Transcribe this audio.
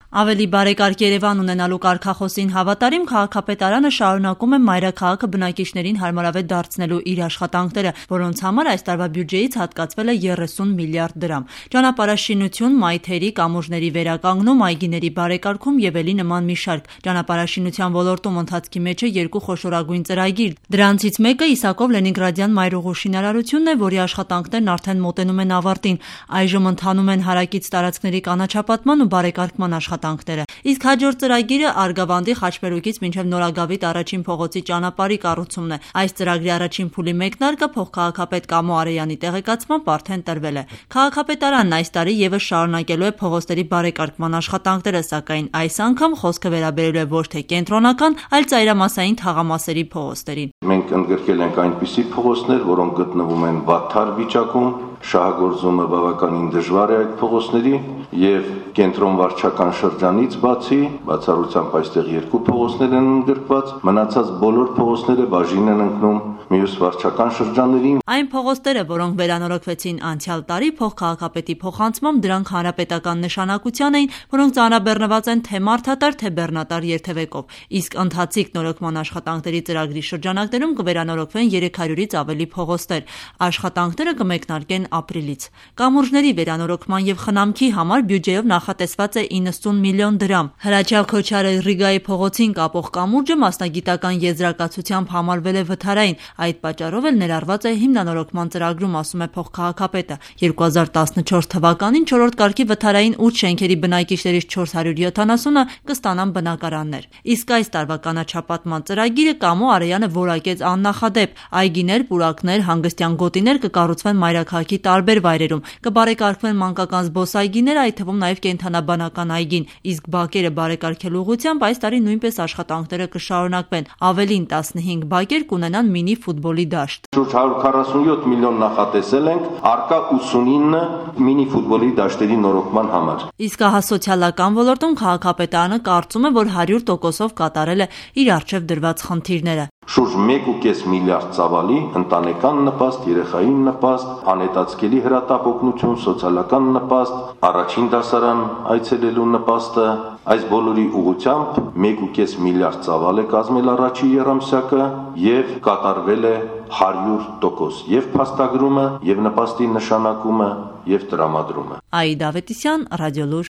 Ավելի բարեկարգ Երևան ունենալու կարգախոսին հավատարիմ քաղաքապետարանը շարունակում է մայրաքաղաքը բնակիչներին հարմարավետ դարձնելու իր աշխատանքները, որոնց համար այս տարվա բյուջեից հատկացվել է 30 միլիարդ դրամ։ Ճանապարհաշինություն, մայթերի, կամուրջների վերականգնում, այգիների բարեկարգում եւ էլի նման մի շարք։ Ճանապարհաշինության ոլորտում ընթացքի մեջ է 2 խոշորագույն ծրագիր։ Դրանցից մեկը Իսակով Լենինգրադյան մայրուղու շինարարությունն է, որի աշխատանքներն արդեն մոտենում են ավարտին։ Այժմ ընթանում են հարակից տարածքների կանաչապատման ու բարեկարգման աշխատանքները։ Իսկ հաջորդ ծրագիրը Արգավանդի Խաչմերուկից մինչև Նորագավիթ առաջին փողոցի ճանապարհի կառուցումն է։ Այս ծրագրի առաջին փուլի մեկնարկը փոխքաղաքապետ Կամո Արեյանի տեղեկացմամբ արդեն տրվել է։ Քաղաքապետարանն այս տարի եւս շարունակելու է փողոցների բարեկարգման աշխատանքները, սակայն այս անգամ խոսքը վերաբերելու է ոչ թե կենտրոնական, այլ ծայրամասային թաղամասերի փողոցներին։ Մենք ընդգրկել ենք այնպիսի փողոցներ, որոնք գտնվում են վատթար վիճակում, շահագործումը բավականին դժվար է այդ փողոցների եւ կենտրոն վարչական շրջանից բացառությամբ այստեղ 2 փողոցներ են ընդգրկված, մնացած բոլոր փողոցները բաժին են ընկնում մյուս վարչական շրջաններին։ Այն փողոցները, որոնք վերանորոգվեցին անցյալ տարի փոխքաղաքապետի փոխանցմամբ, դրանք հանրապետական նշանակության էին, որոնք ծանրաբեռնված են թե մարդատար, թե բեռնատար երթևեկով։ Իսկ ընթացիկ նորոգման աշխատանքների ծրագրի շրջանակներում կվերանորոգվեն 300-ից ավելի փողոցներ։ Աշխատանքները կմեկնարկեն ապրիլից։ Կամուրջների վերանորոգման եւ խնամքի համար բյուջեով նախատեսված է 90 միլիոն դրամ։ Հրաչյալ Քոչարը Ռիգայի փողոցին կապող կամուրջը մասնագիտական եզրակացությամբ համարվել է վթարային, այդ պատճառով էլ ներառված է հիմնանորոգման ծրագրում, ասում է փոխքաղաքապետը։ 2014 թվականին 4-րդ կարգի վթարային 8 շենքերի բնակիչներից 470-ը կստանան բնակարաններ։ Իսկ այս տարվա կանաչապատման ծրագիրը Կամո Արեյանը որակեց աննախադեպ։ Այգիներ, պուրակներ, հանգստյան գոտիներ կկառուցվեն մայրաքաղաքի տարբեր վայրերում, կբարեկարգվեն մանկական զբոսայգիները, այդ թվում նաև կենդանաբանական այգին, իսկ բակերը բարեկարգելու ուղղությամբ այս տարի նույնպես աշխատանքները կշարունակվեն։ Ավելին 15 բակեր կունենան մինի ֆուտբոլի դաշտ։ Շուրջ 147 միլիոն նախատեսել ենք առկա 89 մինի ֆուտբոլի դաշտերի նորոգման համար։ Իսկ ահա սոցիալական ոլորտում քաղաքապետարանը կարծում է, որ 100%-ով կատարել է իր առջև դրված խնդիրները։ Շուրջ 1.5 միլիարդ ծավալի ընտանեկան նպաստ, երեխային նպաստ, անհետացկելի հրատապ օգնություն, սոցիալական նպաստ, առաջին դասարան այցելելու նպաստը, այս բոլորի ուղղությամբ 1.5 միլիարդ ծավալ է կազմել առաջի եռամսյակը եւ կատարվել է 100%, եւ փաստագրումը, եւ նպաստի նշանակումը, եւ տրամադրումը։ Աիդա Ավետիսյան, Ռադիոլուր։